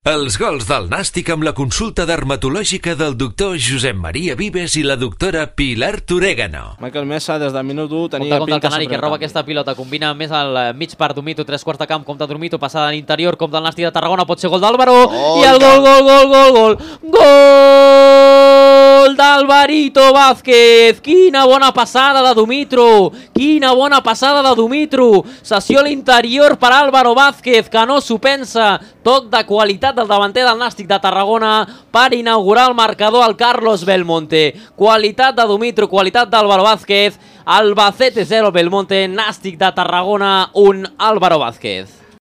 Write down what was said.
Els gols del Nàstic amb la consulta dermatològica del doctor Josep Maria Vives i la doctora Pilar Torégano. Michael Mesa des del minut 1 tenia compte el pinta Canari que roba aquesta pilota, combina més al mig per Domito, tres quarts de camp, compte Domito, passada a l'interior, compte el Nàstic de Tarragona, pot ser gol d'Álvaro, i el gol d'Alvarito Vázquez. Quina bona passada de Dumitru, quina bona passada de Dumitru, sessió a l'interior per Álvaro Vázquez, que no s'ho pensa, toc de qualitat del davanter del Nàstic de Tarragona per inaugurar el marcador al Carlos Belmonte. Qualitat de Dumitru, qualitat d'Álvaro Vázquez. Albacete 0, Belmonte, Nàstic de Tarragona 1, Álvaro Vázquez.